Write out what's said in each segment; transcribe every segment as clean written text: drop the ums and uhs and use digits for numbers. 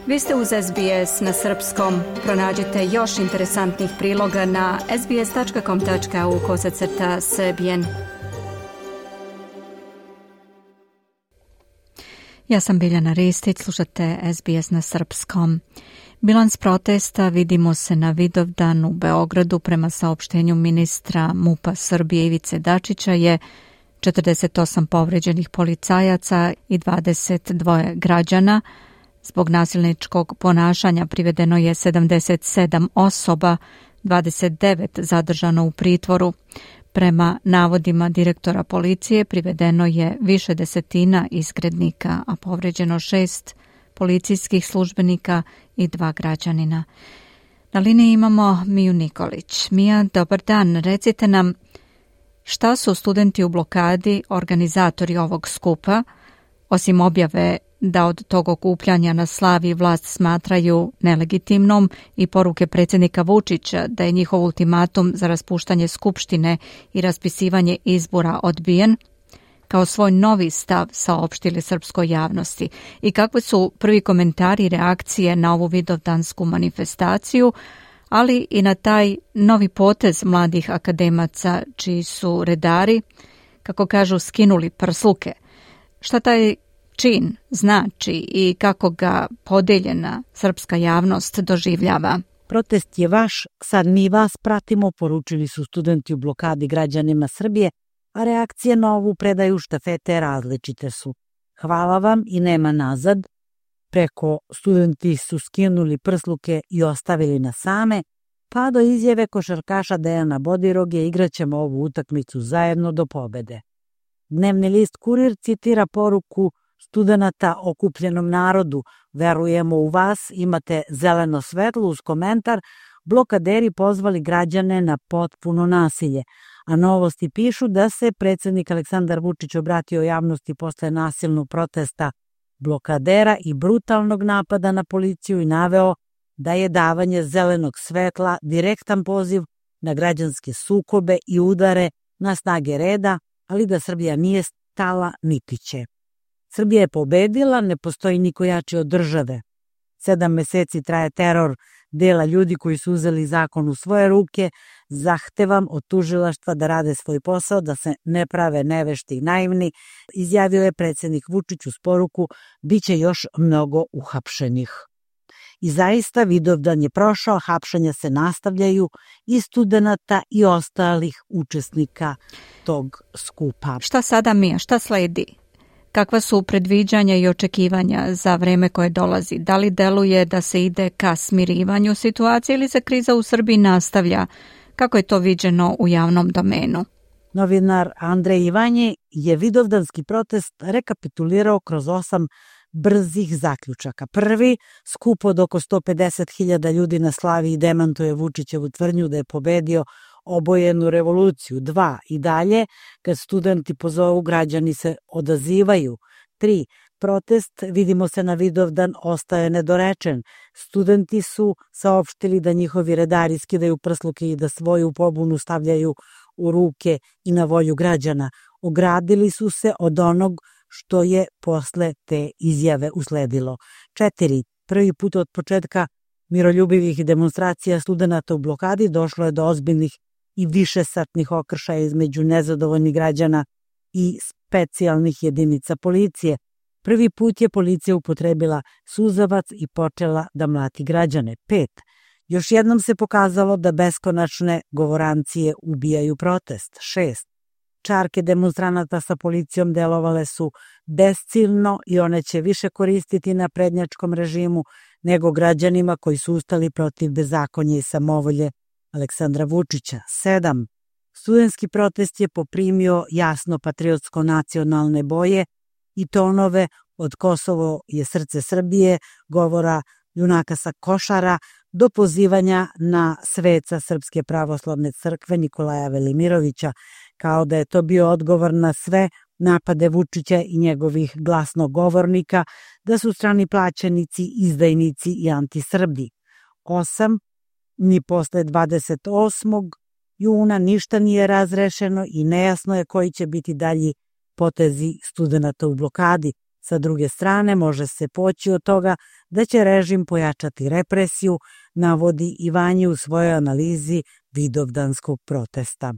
Vi ste uz SBS na srpskom. Pronađite još interesantnih priloga na sbs.com.au/srbijen. Ja sam Biljana Ristić, slušate SBS na srpskom. Bilans protesta vidimo se na Vidovdan u Beogradu. Prema saopštenju ministra MUP-a Srbije Ivice Dačića je 48 povređenih policajaca i 22 građana. Zbog nasilničkog ponašanja privedeno je 77 osoba, 29 zadržano u pritvoru. Prema navodima direktora policije privedeno je više desetina izgrednika, a povređeno 6 policijskih službenika i 2 građanina. Na liniji imamo Miju Nikolić. Mija, dobar dan. Recite nam šta su studenti u blokadi organizatori ovog skupa, osim objave da od tog okupljanja na Slavi vlast smatraju nelegitimnom i poruke predsjednika Vučića da je njihov ultimatum za raspuštanje skupštine i raspisivanje izbora odbijen, kao svoj novi stav saopštili srpskoj javnosti. I kakvi su prvi komentari i reakcije na ovu vidovdansku manifestaciju, ali i na taj novi potez mladih akademaca čiji su redari, kako kažu, skinuli prsluke. Šta taj čin znači i kako ga podeljena srpska javnost doživljava? Protest je vaš, sad mi vas pratimo, poručili su studenti u blokadi građanima Srbije, a reakcije na ovu predaju štafete različite su. Hvala vam i nema nazad. Preko studenti su skinuli prsluke i ostavili nas same, pa do izjave košarkaša Dejana Bodiroge igraćemo ovu utakmicu zajedno do pobede. Dnevni list Kurir citira poruku studenata okupljenom narodu: verujemo u vas, imate zeleno svetlo, uz komentar: blokaderi pozvali građane na potpuno nasilje. A Novosti pišu da se predsjednik Aleksandar Vučić obratio javnosti posle nasilnog protesta blokadera i brutalnog napada na policiju i naveo da je davanje zelenog svetla direktan poziv na građanske sukobe i udare na snage reda, ali da Srbija nije stala niti će. Srbija je pobedila, ne postoji niko jači od države. 7 meseci traje teror dela ljudi koji su uzeli zakon u svoje ruke. Zahtevam od tužilaštva da rade svoj posao, da se ne prave nevešti i naivni, izjavio je predsjednik Vučić uz poruku: biće još mnogo uhapšenih. I zaista Vidovdan je prošao, hapšenja se nastavljaju i studenata i ostalih učesnika tog skupa. Šta sada, Mija, šta sledi? Kakva su predviđanja i očekivanja za vreme koje dolazi? Da li deluje da se ide ka smirivanju situacije ili se kriza u Srbiji nastavlja? Kako je to viđeno u javnom domenu? Novinar Andrej Ivanje je vidovdanski protest rekapitulirao kroz 8 brzih zaključaka. Prvi, skup od oko 150.000 ljudi na Slavi demantuje Vučićevu tvrdnju da je pobedio obojenu revoluciju. 2, i dalje, kad studenti pozovu, građani se odazivaju. 3, protest, vidimo se na Vidovdan, ostaje nedorečen. Studenti su saopštili da njihovi redari skidaju prsluke i da svoju pobunu stavljaju u ruke i na volju građana. Ogradili su se od onog što je posle te izjave usledilo. 4, prvi put od početka miroljubivih demonstracija studenata u blokadi došlo je do ozbiljnih i višesatnih okršaja između nezadovoljnih građana i specijalnih jedinica policije. Prvi put je policija upotrebila suzavac i počela da mlati građane. 5, još jednom se pokazalo da beskonačne govorancije ubijaju protest. 6, čarke demonstranata sa policijom delovale su besciljno i one će više koristiti na prednjačkom režimu nego građanima koji su ustali protiv bezakonja i samovolje Aleksandra Vučića. 7, studentski protest je poprimio jasno patriotsko-nacionalne boje i tonove od Kosovo je srce Srbije, govora junaka sa Košara, do pozivanja na sveca Srpske pravoslavne crkve Nikolaja Velimirovića, kao da je to bio odgovor na sve napade Vučića i njegovih glasnogovornika, da su strani plaćenici, izdajnici i antisrbi. 8, ni posle 28. juna ništa nije razrešeno i nejasno je koji će biti dalji potezi studenata u blokadi. Sa druge strane, može se poći od toga da će režim pojačati represiju, navodi Ivanji u svojoj analizi vidovdanskog protesta.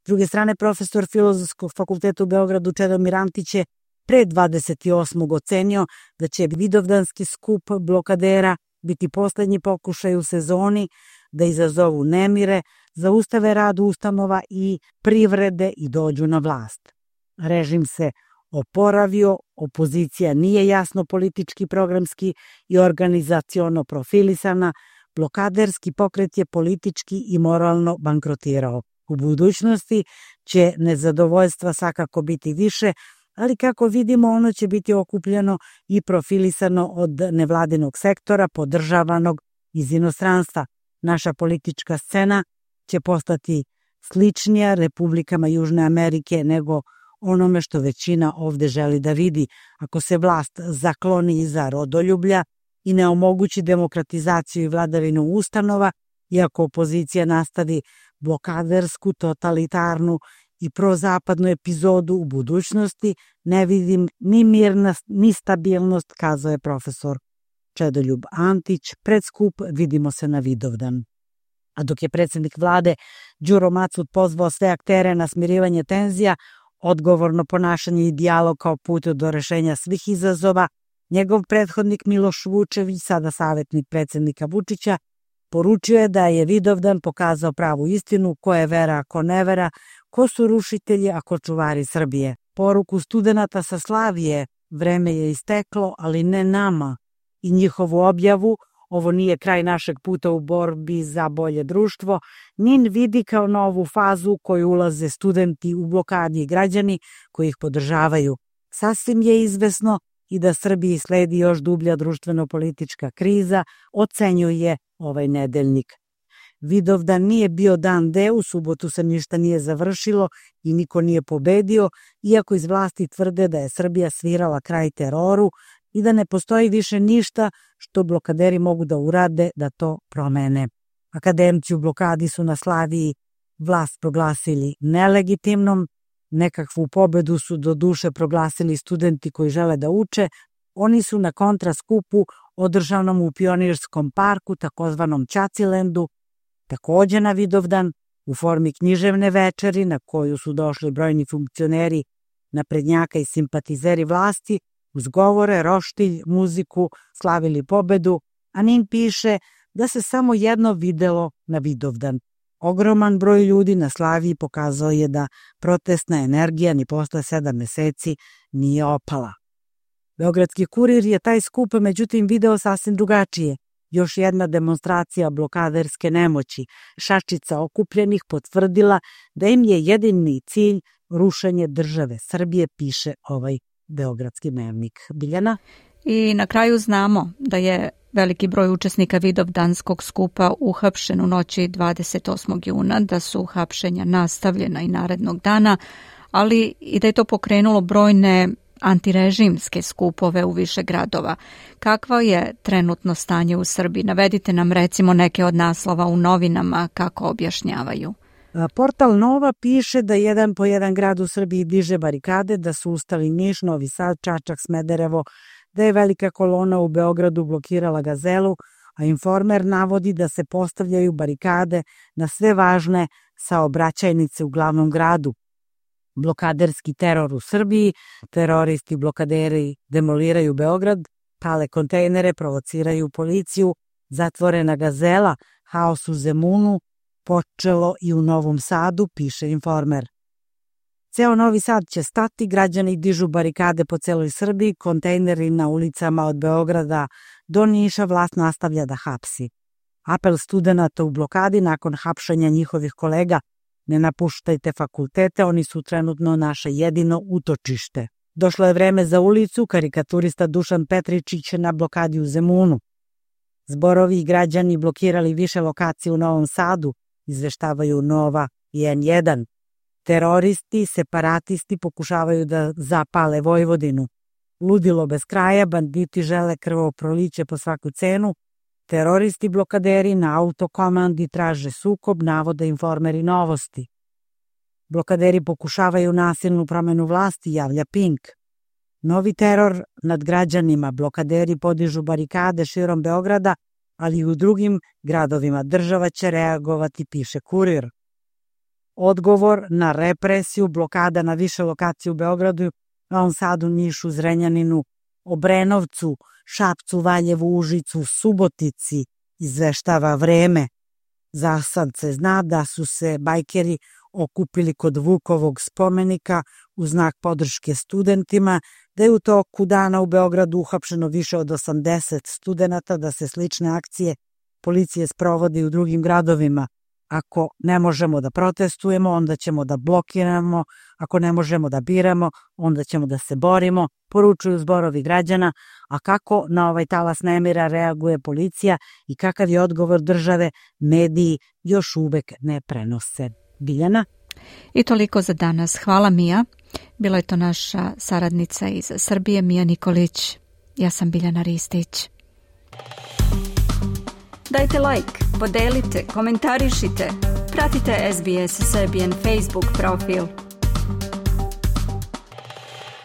S druge strane, profesor Filozofskog fakulteta u Beogradu Čedomir Antić je pre 28. ocenio da će vidovdanski skup blokadera biti poslednji pokušaj u sezoni da izazovu nemire, zaustave rad ustanova i privrede i dođu na vlast. Režim se oporavio, opozicija nije jasno politički, programski i organizaciono profilisana, blokaderski pokret je politički i moralno bankrotirao. U budućnosti će nezadovoljstva svakako biti više, ali kako vidimo ono će biti okupljeno i profilisano od nevladinog sektora podržavanog iz inostranstva. Naša politička scena će postati sličnija republikama Južne Amerike nego onome što većina ovde želi da vidi. Ako se vlast zakloni iza rodoljublja i ne omogući demokratizaciju i vladavinu ustanova, i ako opozicija nastavi blokadersku, totalitarnu i prozapadnu epizodu u budućnosti, ne vidim ni mirnost, ni stabilnost, kazao je profesor Čedoljub Antić. Pred skup vidimo se na Vidovdan. A dok je predsjednik vlade Đuro Macud pozvao sve aktere na smirivanje tenzija, odgovorno ponašanje i dijalog kao put do rešenja svih izazova, njegov prethodnik Miloš Vučević, sada savjetnik predsjednika Vučića, poručio je da je Vidovdan pokazao pravu istinu, ko je vera, a ko ne vera, ko su rušitelji, a ko čuvari Srbije. Poruku studenata sa Slavije, vreme je isteklo, ali ne nama, i njihovu objavu, ovo nije kraj našeg puta u borbi za bolje društvo, NIN vidi kao novu fazu u koju ulaze studenti u blokadi i građani koji ih podržavaju. Sasvim je izvesno i da Srbiji sledi još dublja društveno-politička kriza, ocenjuje ovaj nedeljnik. Vidovdan nije bio dan D, u subotu se ništa nije završilo i niko nije pobedio, iako iz vlasti tvrde da je Srbija svirala kraj teroru i da ne postoji više ništa što blokaderi mogu da urade da to promene. Akademci u blokadi su na Slaviji vlast proglasili nelegitimnom, nekakvu pobedu su do duše proglasili studenti koji žele da uče, oni su na kontraskupu održanom u Pionirskom parku, takozvanom Ćacilendu, takođe na Vidovdan, u formi književne večeri na koju su došli brojni funkcioneri, naprednjaka i simpatizeri vlasti, uz govore, roštilj, muziku, slavili pobedu, a NIN piše da se samo jedno videlo na Vidovdan. Ogroman broj ljudi na Slaviji pokazao je da protestna energija ni posle 7 meseci nije opala. Beogradski kurir je taj skup međutim video sasvim drugačije. Još jedna demonstracija blokaderske nemoći. Šačica okupljenih potvrdila da im je jedini cilj rušenje države Srbije, piše ovaj Beogradski dnevnik. Biljana? I na kraju znamo da je veliki broj učesnika Vidovdanskog skupa uhapšen u noći 28. juna, da su hapšenja nastavljena i narednog dana, ali i da je to pokrenulo brojne antirežimske skupove u više gradova. Kakvo je trenutno stanje u Srbiji? Navedite nam recimo neke od naslova u novinama kako objašnjavaju. Portal Nova piše da jedan po jedan grad u Srbiji diže barikade, da su ustali Niš, Novi Sad, Čačak, Smederevo, da je velika kolona u Beogradu blokirala Gazelu, a Informer navodi da se postavljaju barikade na sve važne saobraćajnice u glavnom gradu. Blokaderski teror u Srbiji, teroristi blokaderi demoliraju Beograd, pale kontejnere, provociraju policiju, zatvorena Gazela, haos u Zemunu, počelo i u Novom Sadu, piše Informer. Ceo Novi Sad će stati, građani dižu barikade po celoj Srbiji, kontejneri na ulicama od Beograda do Niša, vlast nastavlja da hapsi. Apel studenata u blokadi nakon hapšanja njihovih kolega: ne napuštajte fakultete, oni su trenutno naše jedino utočište. Došlo je vreme za ulicu, karikaturista Dušan Petričić na blokadi u Zemunu. Zborovi i građani blokirali više lokacija u Novom Sadu, izveštavaju Nova i N1. Teroristi, separatisti pokušavaju da zapale Vojvodinu. Ludilo bez kraja, banditi žele krvoproliće po svaku cenu, teroristi blokaderi na autokomandi traže sukob, navode Informeri Novosti. Blokaderi pokušavaju nasilnu promenu vlasti, javlja Pink. Novi teror nad građanima, blokaderi podižu barikade širom Beograda, ali i u drugim gradovima. Država će reagovati, piše Kurir. Odgovor na represiju, blokada na više lokacije u Beogradu, Novom Sadu, Nišu, Zrenjaninu, Obrenovcu, Šapcu, Valjevu, Užicu, Subotici, izveštava Vreme. Za sad se zna da su se bajkeri okupili kod Vukovog spomenika u znak podrške studentima, da je u toku dana u Beogradu uhapšeno više od 80 studenata, da se slične akcije policije sprovodi u drugim gradovima. Ako ne možemo da protestujemo, onda ćemo da blokiramo, ako ne možemo da biramo, onda ćemo da se borimo, poručuju zborovi građana, a kako na ovaj talas nemira reaguje policija i kakav je odgovor države, mediji još uvek ne prenose. Biljana? I toliko za danas. Hvala Mija. Bila je to naša saradnica iz Srbije, Mija Nikolić. Ja sam Biljana Ristić. Dajte like, podelite, komentarišite. Pratite SBS Serbian Facebook profil.